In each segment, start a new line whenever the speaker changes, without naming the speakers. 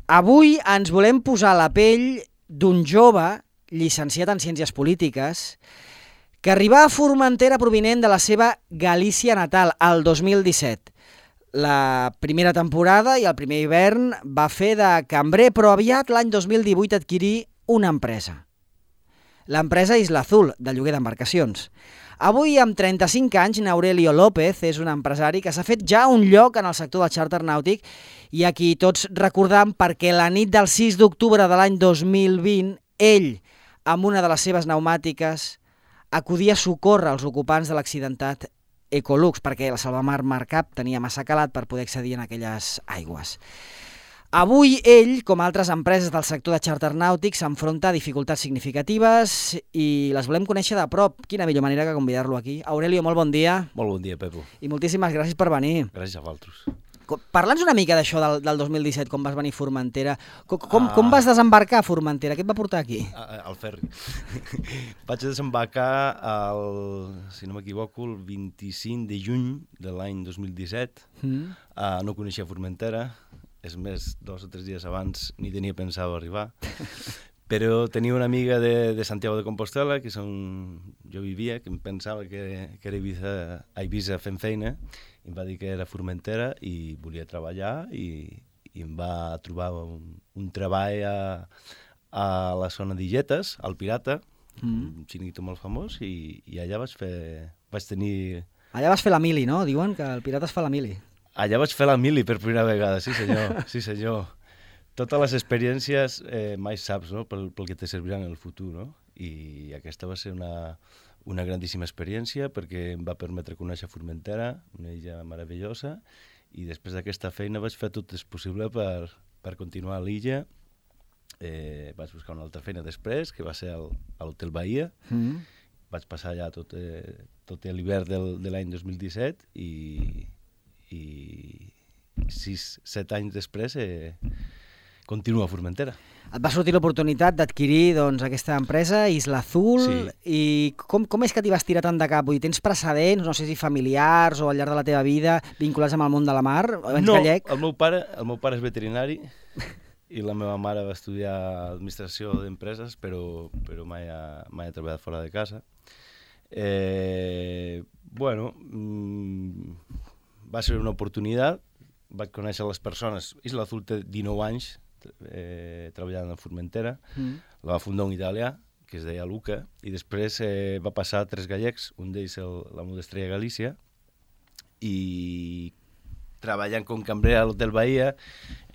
Avui ens volem posar a la pell d'un jove llicenciat en Ciències Polítiques que arribà a Formentera provinent de la seva Galícia natal, el 2017. La primera temporada i el primer hivern va fer de cambrer, però aviat l'any 2018 adquirí una empresa. L'empresa Isla Azul, de lloguer d'embarcacions. Avui, amb 35 anys, Aurelio López és un empresari que s'ha fet ja un lloc en el sector del xàrter nàutic i a qui tots recordam perquè la nit del 6 d'octubre de l'any 2020, ell, amb una de les seves pneumàtiques, acudia a socórrer els ocupants de l'accidentat Ecolux, perquè la Salvamar Marcap tenia massa calat per poder accedir en aquelles aigües. Avui ell, com altres empreses del sector de xàrter nàutic, s'enfronta a dificultats significatives i les volem conèixer de prop. Quina millor manera que convidar-lo aquí. Aurelio, molt bon dia.
Molt bon dia, Pepo.
I moltíssimes gràcies per venir.
Gràcies a vosaltres.
Parla'ns una mica d'això del 2017, com vas venir a Formentera. Com vas desembarcar a Formentera? Què et va portar aquí?
Al ferri. Vaig desembarcar, si no m'equivoco, el 25 de juny de l'any 2017. No coneixia Formentera. És més, 2 o 3 dies abans ni tenia pensat arribar. Però tenia una amiga de Santiago de Compostela, que jo vivia, que em pensava que era a Eivissa fent feina, i em va dir que era Formentera i volia treballar i em va trobar un treball a la zona d'Illetes, al Pirata, un xiringuito molt famós, i allà vaig tenir...
Allà vas fer la mili, no? Diuen que el Pirata es fa la mili.
Allà vaig fer la mili per primera vegada, sí senyor, sí senyor. Totes les experiències mai saps, no?, pel que te serviran en el futur, no? I aquesta va ser una grandíssima experiència perquè em va permetre conèixer Formentera, una illa meravellosa, i després d'aquesta feina vaig fer tot el possible per continuar a l'illa. Vaig buscar una altra feina després, que va ser a l'Hotel Bahia. Vaig passar allà tot l'hivern de l'any 2017 i 6-7 anys després continuo a Formentera.
Et va sortir l'oportunitat d'adquirir aquesta empresa, Isla Azul, sí. I com és que t'hi vas tirar tant de cap? Vull dir, tens precedents, no sé si familiars o al llarg de la teva vida vinculats amb el món de la mar?
No, el meu pare és veterinari i la meva mare va estudiar administració d'empreses, però mai ha treballat fora de casa. Va ser una oportunitat, vaig conèixer les persones. Isla Azul té 19 anys treballant a Formentera, la va fundar un italià, que es deia Luca, i després va passar a 3 gallecs, un d'ells la Modestrella Galícia, i treballant com cambrer a l'Hotel Bahia.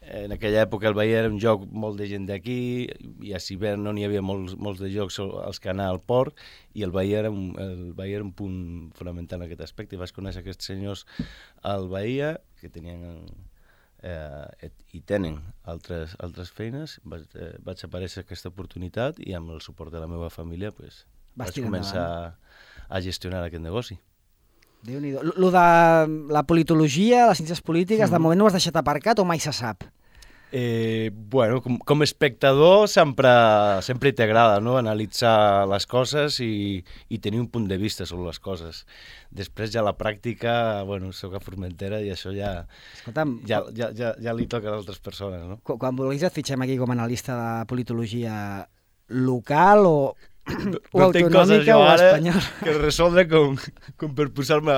En aquella època el Bahia era un lloc molt de gent d'aquí, i a Hivern no n'hi havia molts de llocs als que anar al port, i el Bahia era un punt fonamental en aquest aspecte. I vaig conèixer aquests senyors al Bahia, que tenien i tenen altres feines. Vaig aparèixer aquesta oportunitat i amb el suport de la meva família vaig començar a gestionar aquest negoci.
Déu-n'hi-do. Lo de la politologia, les ciències polítiques, de moment no ho has deixat aparcat o mai se sap?
Com a espectador sempre t'agrada, no?, analitzar les coses i tenir un punt de vista sobre les coses. Després ja la pràctica, soc a Formentera i això ja li toca a altres persones, no?
Quan vulguis et fitxem aquí com a analista de politologia local o autonòmica o espanyola.
Que resoldre com per posar-me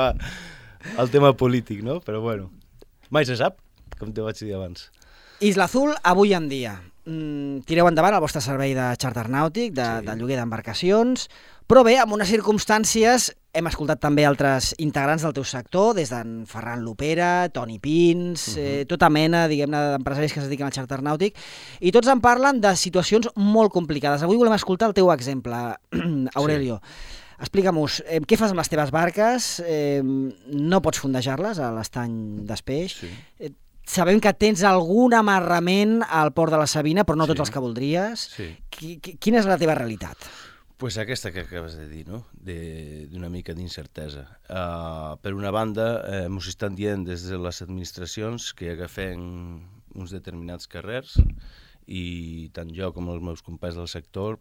al tema polític, no? Però mai se sap, com te vaig dir abans.
Isla Azul, avui en dia. Tireu endavant el vostre servei de xàrter nàutic, de lloguer d'embarcacions, però bé, en unes circumstàncies hem escoltat també altres integrants del teu sector, des d'en Ferran Lopera, Toni Pins, tota mena, diguem-ne, d'empresaris que es dediquen al xàrter nàutic, i tots en parlen de situacions molt complicades. Avui volem escoltar el teu exemple, Aurelio. Sí. Explica'm-nos, què fas amb les teves barques? No pots fondejar-les a l'estany d'Espeix? Sí. Sabem que tens algun amarrament al port de la Sabina, però no tots els que voldries. Sí. Quina és la teva realitat?
Pues aquesta que acabes de dir, no?, d'una mica d'incertesa. Per una banda, ens estan dient des de les administracions que agafem uns determinats carrers i tant jo com els meus companys del sector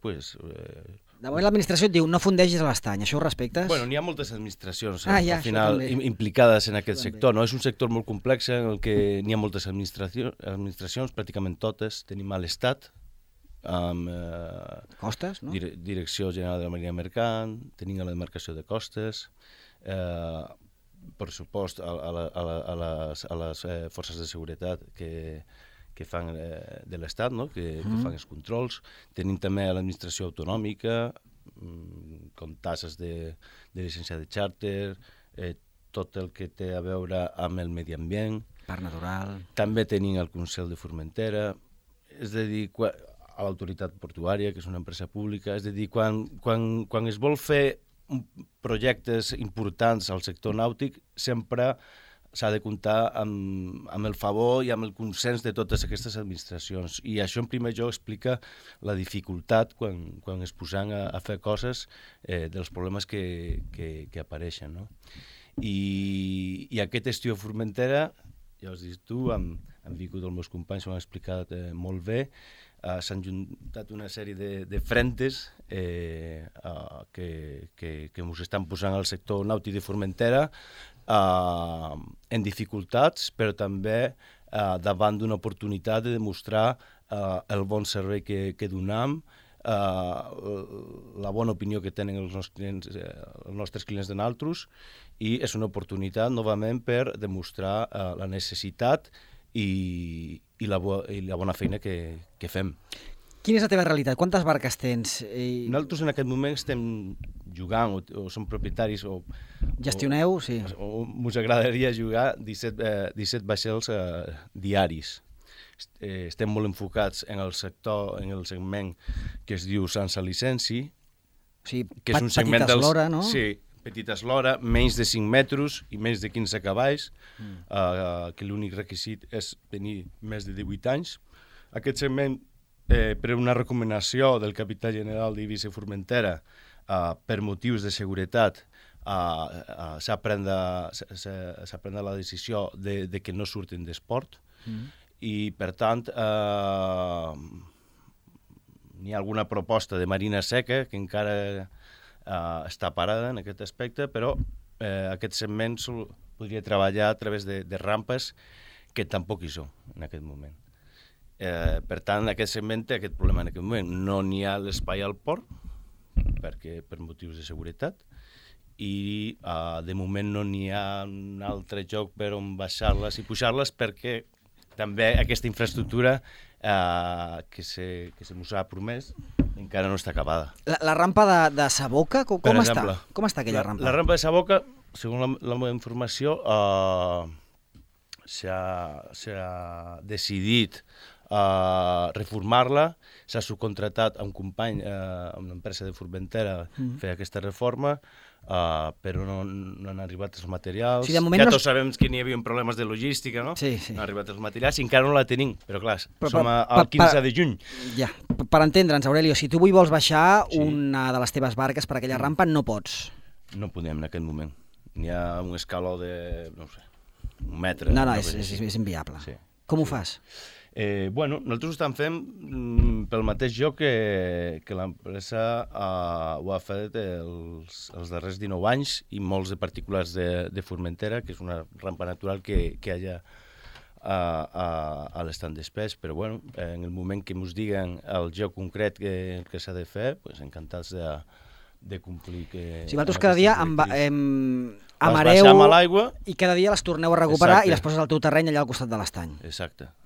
De moment l'administració et diu no fundegis a l'estany, això ho respectes?
Bueno, n'hi ha moltes administracions
al
final implicades en aquest sector, no? És un sector molt complex en el que n'hi ha moltes administracions, pràcticament totes. Tenim a l'Estat, amb
Costes, no?
Direcció General de la Marina Mercant, tenim a la demarcació de Costes, per supost a les forces de seguretat que fan de l'Estat, no? que fan els controls. Tenim també a l'administració autonòmica, com tasses de llicència de xàrter, tot el que té a veure amb el medi ambient.
Parc natural.
També tenim el Consell de Formentera, és a dir, a l'autoritat portuària, que és una empresa pública, és a dir, quan es vol fer projectes importants al sector nàutic, sempre s'ha de comptar amb el favor i amb el consens de totes aquestes administracions. I això, en primer lloc, explica la dificultat quan es posen a fer coses dels problemes que apareixen, no? I aquest estiu a Formentera, ja us dic tu, han vingut els meus companys, ho han explicat molt bé, s'han juntat una sèrie de frentes que ens estan posant al sector nàutic de Formentera en dificultats, però també davant d'una oportunitat de demostrar el bon servei que donem, la bona opinió que tenen els nostres clients de nosaltres, i és una oportunitat, novament, per demostrar la necessitat i la bona feina que fem.
Quina és la teva realitat? Quantes barques tens?
Nosaltres en aquest moment estem jugant, o som propietaris, o
gestioneu, sí.
O ens agradaria jugar 17 vaixells diaris. Estem molt enfocats en el sector, en el segment que es diu sense llicència, que és un segment
petita eslora, no?
Sí, petita eslora, menys de 5 metres i menys de 15 cavalls, que l'únic requisit és tenir més de 18 anys. Aquest segment, per una recomanació del capità general d'Eivissa i Formentera, per motius de seguretat, s'ha pres la decisió de que no surtin d'esport, i per tant n'hi ha alguna proposta de marina seca que encara està parada en aquest aspecte, però aquest segment podria treballar a través de rampes que tampoc hi són en aquest moment. Per tant, aquest segment té aquest problema en aquest moment. No n'hi ha l'espai al port, per motius de seguretat, i de moment no n'hi ha un altre lloc per on baixar-les i pujar-les, perquè també aquesta infraestructura que se mos ha promès encara no està acabada.
La rampa de Saboca, com està? Com està aquella rampa?
La rampa de Saboca, segons la meva informació, s'ha decidit reformar-la, s'ha subcontratat a un company, a una empresa de Formentera, fer aquesta reforma, però no han arribat els materials. Ja tots sabem que n'hi havia problemes de logística, no?
Sí.
No han arribat els materials i encara no la tenim, però clar, som al 15 de juny.
Ja, per entendre'ns, Aurelio, si tu avui vols baixar una de les teves barques per aquella rampa, no pots.
No podem en aquest moment. N'hi ha un escaló de, no sé, un metre.
No, és inviable. Com ho fas?
Bueno, nosaltres ho estem fent pel mateix lloc que l'empresa ho ha fet els darrers 19 anys i molts de particulars de Formentera, que és una rampa natural que hi ha a l'estand d'espès, però bueno, en el moment que ens diguen el lloc concret que s'ha de fer, pues, encantats de complir.
Si vosaltres cada dia amareu i cada dia les torneu a recuperar. Exacte. I les poses al teu terreny allà al costat de l'estany.
Exacte.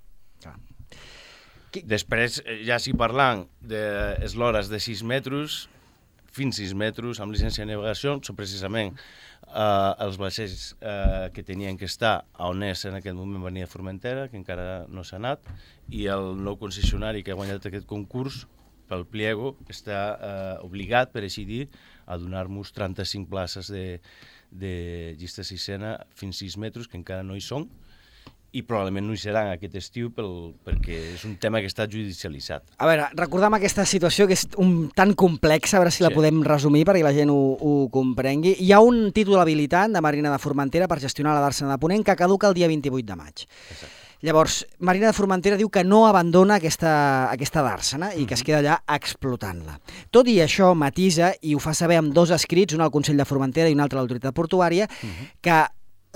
Després, ja si parlant d'eslores de 6 metres, fins 6 metres, amb llicència de navegació, són precisament els vaixells que tenien que estar a on és en aquest moment venia Formentera, que encara no s'ha anat, i el nou concessionari que ha guanyat aquest concurs, pel pliego, està obligat, per així dir, a donar-nos 35 places de llista sisena fins 6 metres, que encara no hi són, i probablement no hi seran aquest estiu perquè és un tema que està judicialitzat. A
veure, recordem aquesta situació que és tan complexa, a veure si la podem resumir perquè la gent ho comprengui. Hi ha un títol habilitant de Marina de Formentera per gestionar la dàrsena de Ponent que caduca el dia 28 de maig.
Exacte.
Llavors, Marina de Formentera diu que no abandona aquesta dàrsena i que es queda allà explotant-la. Tot i això, matisa, i ho fa saber amb 2 escrits, un al Consell de Formentera i un altre a l'Autoritat Portuària, que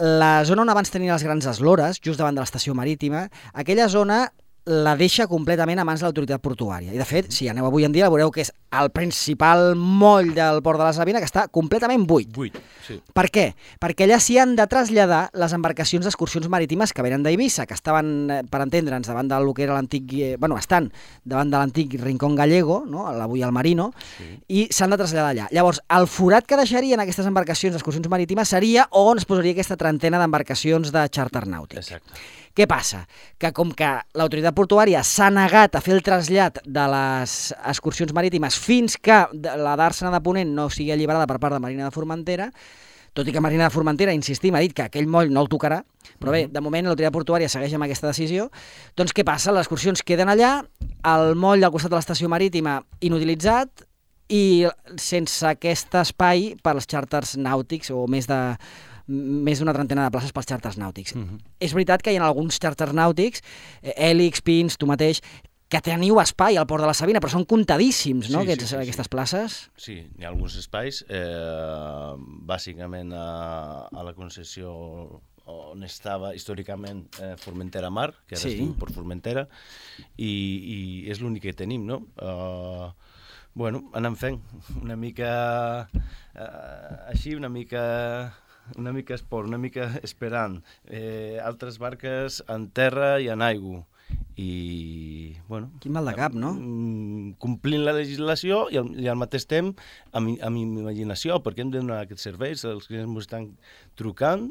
la zona on abans tenien les grans eslores, just davant de l'estació marítima, aquella zona la deixa completament a mans de l'autoritat portuària. I, de fet, si aneu avui en dia, veureu que és el principal moll del port de la Savina, que està completament buit.
Sí.
Per què? Perquè allà s'hi han de traslladar les embarcacions d'excursions marítimes que venen d'Eivissa, que estaven, per entendre'ns, davant del que era l'antic... estan davant de l'antic Rincón Gallego, no? Avui el Marino, i s'han de traslladar allà. Llavors, el forat que deixarien aquestes embarcacions d'excursions marítimes seria on es posaria aquesta trentena d'embarcacions de xàrter nàutic.
Exacte.
Què passa? Que com que l'autoritat portuària s'ha negat a fer el trasllat de les excursions marítimes fins que la dàrsena de Ponent no sigui alliberada per part de Marina de Formentera, tot i que Marina de Formentera, insistim, ha dit que aquell moll no el tocarà, però bé, de moment l'autoritat portuària segueix amb aquesta decisió, doncs què passa? Les excursions queden allà, el moll al costat de l'estació marítima inutilitzat i sense aquest espai per als xàrters nàutics o més d'una trentena de places pels xàrters nàutics. És veritat que hi ha alguns xàrters nàutics, Hèlix, Pins, tu mateix, que teniu espai al Port de la Savina, però són comptadíssims, no, aquestes places?
Sí, hi ha alguns espais, bàsicament a la concessió on estava històricament Formentera Mar, que ara es diu Port Formentera, i és l'únic que tenim, no? Bueno, anem fent una mica així, una mica esport, una mica esperant. Altres barques en terra i en aigua. I, bueno...
Quin mal de cap, no?
Complint la legislació i al mateix temps amb imaginació, perquè hem de donar aquests serveis. Els clients ens estan trucant,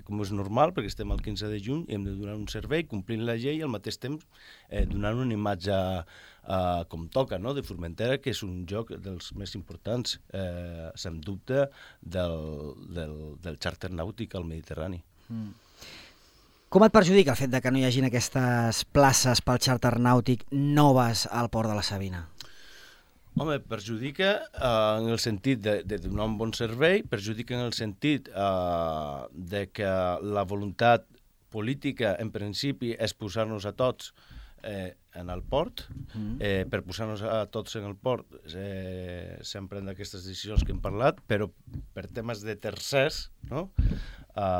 com és normal, perquè estem al 15 de juny, i hem de donar un servei, complint la llei i al mateix temps donant una imatge com toca, no?, de Formentera, que és un lloc dels més importants, sens dubte, del xàrter nàutic al Mediterrani.
Com et perjudica el fet de que no hi hagin aquestes places pel xàrter nàutic noves al Port de la Savina?
Home, perjudica en el sentit de donar un bon servei, perjudica en el sentit de que la voluntat política, en principi, és posar-nos a tots en el port. Per posar-nos a tots en el port s'han pres aquestes decisions que hem parlat, però per temes de tercers, no?,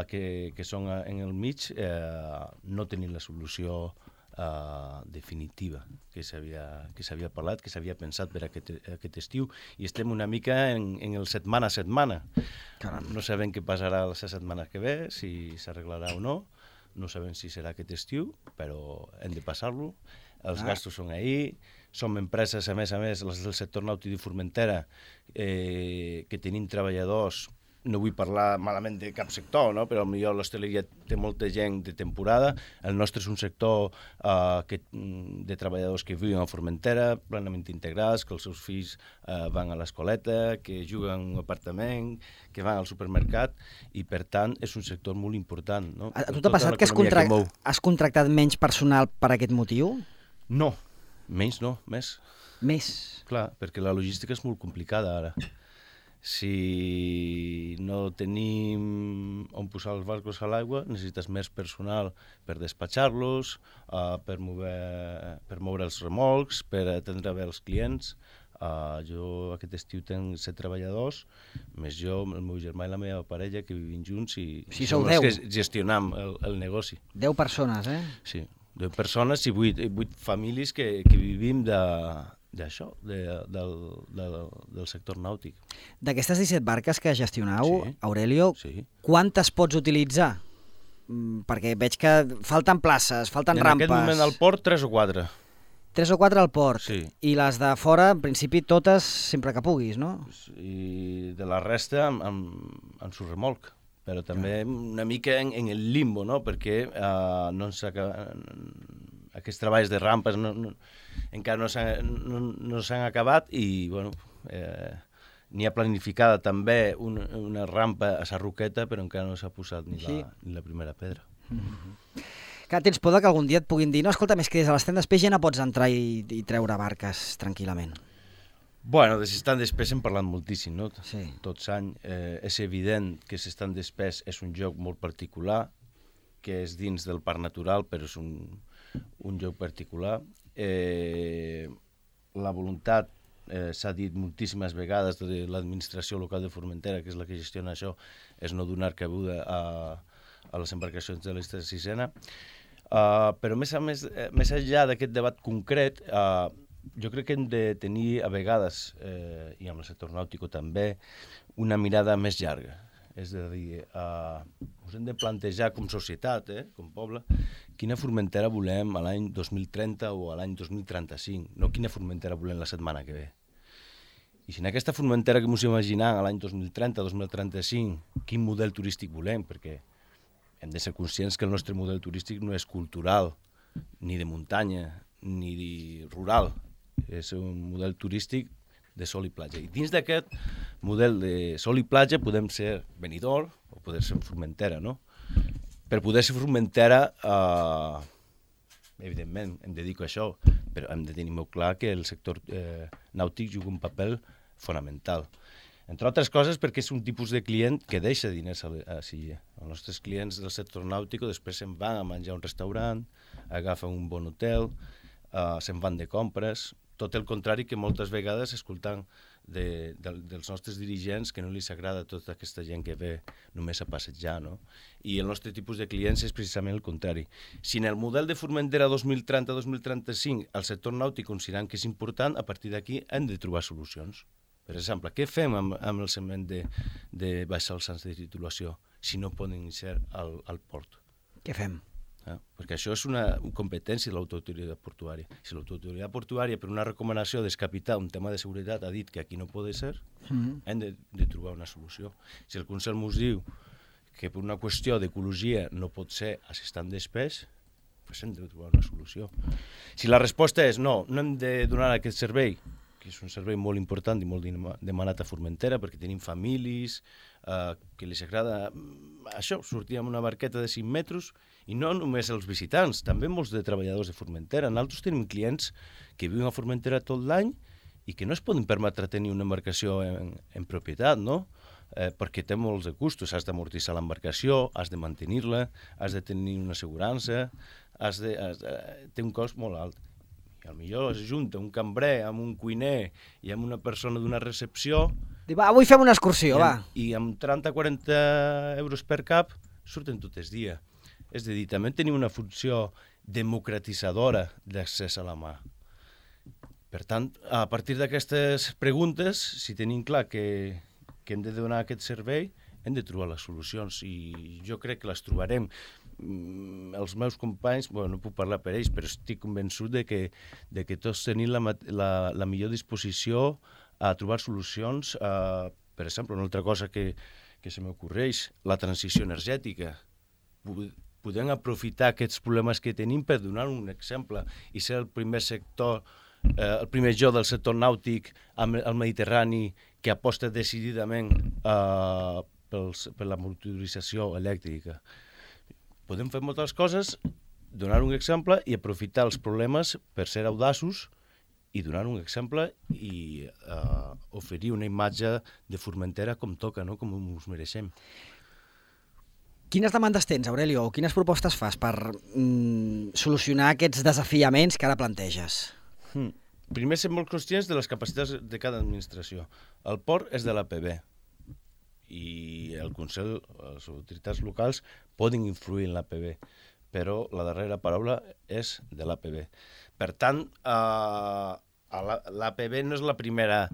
que són en el mig, no tenim la solució definitiva que s'havia parlat, que s'havia pensat per aquest estiu, i estem una mica en el setmana a setmana. No sabem què passarà la setmana que ve, si s'arreglarà o no. No sabem si serà aquest estiu, però hem de passar-lo. Els gastos són ahí. Som empreses, a més, les del sector nàutic de Formentera, que tenim treballadors. No vull parlar malament de cap sector, no?, però potser l'hostaleria té molta gent de temporada. El nostre és un sector de treballadors que viuen a Formentera, plenament integrats, que els seus fills van a l'escoleta, que juguen en un apartament, que van al supermercat, i per tant és un sector molt important, no?
A tu t'ha passat que has contractat menys personal per aquest motiu?
No, menys no, més.
Més?
Clar, perquè la logística és molt complicada ara. Si no tenim on posar els barcos a l'aigua, necessites més personal per despatxar-los, per moure els remolcs, per atendre bé els clients. Jo aquest estiu tenc 7 treballadors, més jo, el meu germà i la meva parella, que vivim junts i
som els
que gestionam el negoci.
10 persones, eh?
Sí, 10 persones i 8 famílies que vivim d'això, del sector nàutic.
D'aquestes 17 barques que gestionau, Aurelio, quantes pots utilitzar? Perquè veig que falten places, falten rampes.
En aquest moment al port, 3 o 4.
3 o 4 al port.
Sí.
I les de fora, en principi, totes sempre que puguis, no? I
de la resta en su remolc. Però també una mica en el limbo, no?, perquè aquests treballs de rampes encara no s'han acabat i, bueno, n'hi ha planificada també una rampa a Sarroqueta, però encara no s'ha posat ni la primera pedra.
Que tens por que algun dia et puguin dir no, escolta, més que des de l'estany d'espès ja no pots entrar i treure barques tranquil·lament.
Bueno, de s'estan d'espès hem parlat moltíssim, no?
Sí.
Tots anys. És evident que s'estan d'espès és un joc molt particular, que és dins del parc natural, però és un lloc particular. La voluntat, s'ha dit moltíssimes vegades de l'administració local de Formentera, que és la que gestiona això, és no donar cabuda a les embarcacions de l'Esta Sisena. Però més enllà d'aquest debat concret, jo crec que hem de tenir a vegades, i amb el sector nàutico també, una mirada més llarga. És a dir, us hem de plantejar com societat, com poble, quina Formentera volem a l'any 2030 o a l'any 2035, no quina Formentera volem la setmana que ve. I si en aquesta Formentera que ens imaginem a l'any 2030, 2035, quin model turístic volem, perquè hem de ser conscients que el nostre model turístic no és cultural, ni de muntanya, ni de rural. És un model turístic de sol i platja. I dins d'aquest model de sol i platja podem ser Benidorm o poder ser Formentera, no? Per poder ser Formentera, evidentment, em dedico a això, però hem de tenir molt clar que el sector nàutic juga un paper fonamental. Entre altres coses perquè és un tipus de client que deixa diners a Silla. Els nostres clients del sector nàutic després se'n van a menjar a un restaurant, agafen un bon hotel, se'n van de compres, tot el contrari que moltes vegades escoltant dels nostres dirigents que no els agrada tota aquesta gent que ve només a passejar, no? I el nostre tipus de clients és precisament el contrari. Si en el model de Formentera 2030-2035 el sector nàutic considerant que és important, a partir d'aquí hem de trobar solucions. Per exemple, què fem amb el segment de baixar els anys de titulació si no poden ser al port?
Què fem?
Perquè això és una competència de l'autoritat portuària. Si l'autoritat portuària, per una recomanació descapitar un tema de seguretat, ha dit que aquí no pot ser, hem de trobar una solució. Si el Consell ens diu que per una qüestió d'ecologia no pot ser assistant d'espès, doncs hem de trobar una solució. Si la resposta és no hem de donar aquest servei, que és un servei molt important i molt demanat a Formentera, perquè tenim famílies que els agrada això, sortir amb una barqueta de 5 metres, i no només els visitants, també molts de treballadors de Formentera. Nosaltres tenim clients que viuen a Formentera tot l'any i que no es poden permetre tenir una embarcació en propietat, no? Perquè té molts de costos, has d'amortitzar l'embarcació, has de mantenir-la, has de tenir una assegurança, té un cost molt alt. I potser es junta un cambrer amb un cuiner i amb una persona d'una recepció...
Diu, va, avui fem una excursió, va.
I amb 30-40 euros per cap surten tot el dia. És a dir, també tenim una funció democratitzadora d'accés a la mà. Per tant, a partir d'aquestes preguntes, si tenim clar que hem de donar aquest servei, hem de trobar les solucions i jo crec que les trobarem. Els meus companys, no puc parlar per ells, però estic convençut de que tots tenim la millor disposició a trobar solucions. Per exemple, una altra cosa que se m'ocorreix, la transició energètica. Podem aprofitar aquests problemes que tenim per donar un exemple i ser el primer sector, el primer lloc del sector nàutic al Mediterrani que aposta decididament per la motorització elèctrica. Podem fer moltes coses, donar un exemple i aprofitar els problemes per ser audaços i donar un exemple i oferir una imatge de Formentera com toca, no? Com ens mereixem.
Quines demandes tens, Aurelio, o quines propostes fas per solucionar aquests desafiaments que ara planteges?
Primer, ser molt conscients de les capacitats de cada administració. El port és de l'APB i el Consell, les autoritats locals, poden influir en l'APB, però la darrera paraula és de l'APB. Per tant, l'APB no és la primera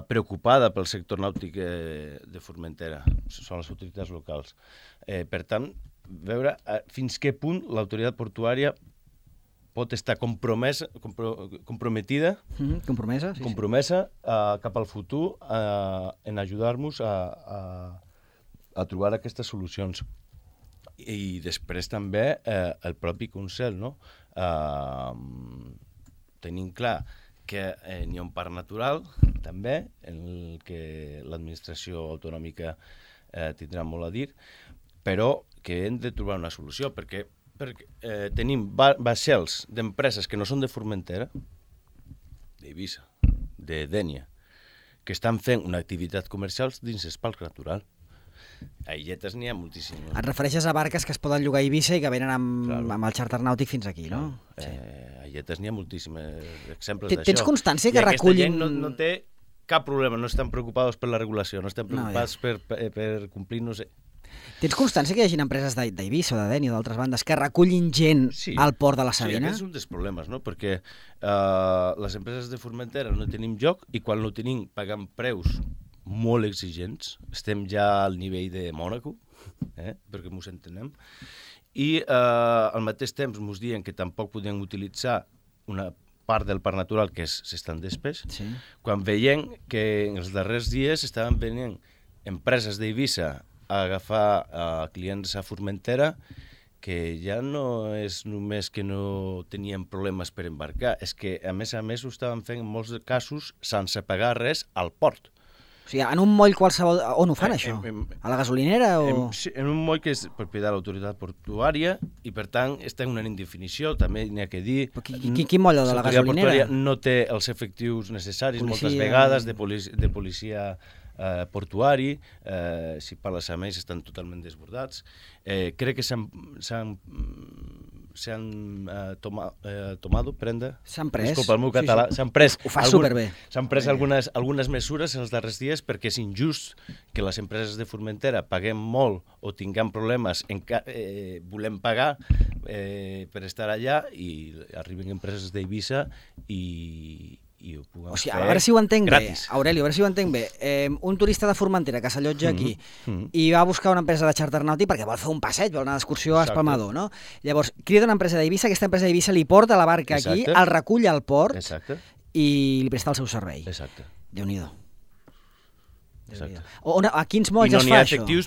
preocupada pel sector nàutic de Formentera, són les autoritats locals. Per tant, veure fins què punt l'autoritat portuària pot estar comprometida cap al futur en ajudar-nos a trobar aquestes solucions. I després també el propi Consell, no? Tenim clar que n'hi ha un parc natural, també, en el que l'administració autonòmica tindrà molt a dir, però que hem de trobar una solució, perquè tenim vaixells d'empreses que no són de Formentera, d'Eivissa, de Dénia, que estan fent una activitat comercial dins el parc natural. A illetes n'hi ha moltíssimes.
Et refereixes a barques que es poden llogar a Eivissa i que venen amb el xàrter nàutic fins aquí, no?
Sí. A illetes n'hi ha moltíssims exemples d'això.
Tens constància que
recullin...
recullin...
I aquesta gent no té cap problema, no estan preocupats per la regulació, no estan preocupats per complir, no sé.
Tens constància que hi hagi empreses d'Eivissa o de Deni o d'altres bandes que recullin gent al port de la Sabina?
Sí, aquest és un dels problemes, no? Perquè les empreses de Formentera no tenim lloc i quan no tenim pagant preus molt exigents, estem ja al nivell de Mònaco, perquè ens entenem, i al mateix temps ens diuen que tampoc podem utilitzar una part del parc natural que és s'estan d'espès, quan veiem que en els darrers dies estaven venint empreses d'Eivissa a agafar clients a Formentera que ja no és només que no tenien problemes per embarcar, és que a més ho estaven fent en molts casos sense pagar res al port.
O sigui, en un moll qualsevol... On ho fan, això? A la gasolinera o...?
En un moll que és propietat de l'autoritat portuària i, per tant, està en una indefinició, també n'hi ha que dir...
Quin moll, de la gasolinera?
No té els efectius necessaris moltes vegades de policia portuari, si parles amb ells estan totalment desbordats. Crec que s'han pres, disculpa el meu català, s'han pres algunes mesures en els darrers dies perquè és injust que les empreses de Formentera paguem molt o tinguem problemes, volem pagar per estar allà i arriben empreses d'Eivissa i ho puguem fer gratis.
A veure si ho entenc bé, Aurelio, a veure si ho entenc bé. Un turista de Formentera que s'allotja aquí i va a buscar una empresa de xàrter nàutic perquè vol fer un passeig, vol anar d'excursió a Espalmador, no? Llavors, crida una empresa d'Eivissa, aquesta empresa d'Eivissa li porta la barca aquí, el recull al port i li presta el seu servei.
Exacte.
Déu-n'hi-do. A quins molls es fa això? I no n'hi ha efectius,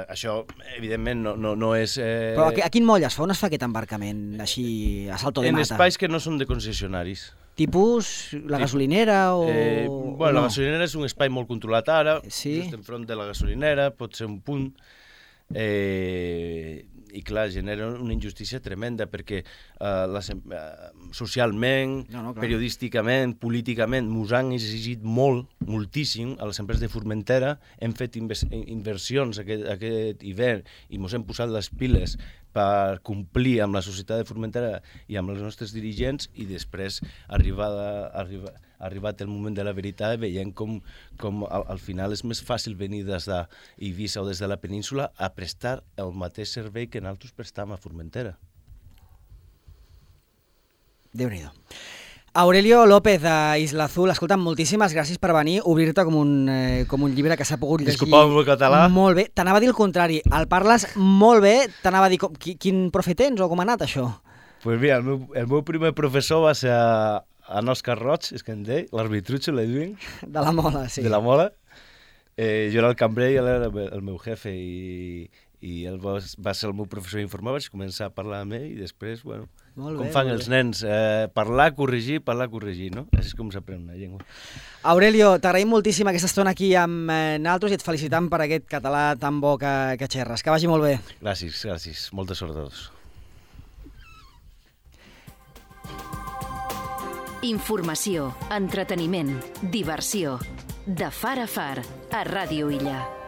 això evidentment no és...
Però a quin moll es fa? On es fa aquest embarcament així a salto de mata?
En espais que no són de concessionaris.
Tipus la gasolinera o...
La gasolinera és un espai molt controlat ara, just enfront de la gasolinera, pot ser un punt, i clar, genera una injustícia tremenda perquè socialment, periodísticament, políticament, ens han exigit moltíssim a les empreses de Formentera, hem fet inversions aquest hivern i ens hem posat les piles per complir amb la societat de Formentera i amb els nostres dirigents i després arribat el moment de la veritat veiem com al final és més fàcil venir des d'Eivissa o des de la península a prestar el mateix servei que nosaltres prestam a Formentera.
Déu-n'hi-do. Aurelio López, d'Isla Azul, escolta'm, moltíssimes gràcies per venir, obrir-te com un llibre que s'ha pogut llegir.
Disculpa el meu català.
Molt bé, t'anava a dir el contrari, el parles molt bé, t'anava a dir quin profe tens o com ha anat això?
Pues mira, el meu primer professor va ser en Òscar Roig, és que en deia, l'arbitrucho, le diuen.
De la Mola, sí.
De la Mola. Jo era el cambrer i ell era el meu jefe i ell va ser el meu professor d'informar, vaig començar a parlar amb ell i després, bueno, com fan els nens, parlar, corregir, no? Així és com s'aprèn una llengua.
Aurelio, t'agraïm moltíssim aquesta estona aquí amb nosaltres i et felicitam per aquest català tan bo que xerres. Que vagi molt bé.
Gràcies. Molta sort a tots.
Informació, entreteniment, diversió. De far a far, a Ràdio Illa.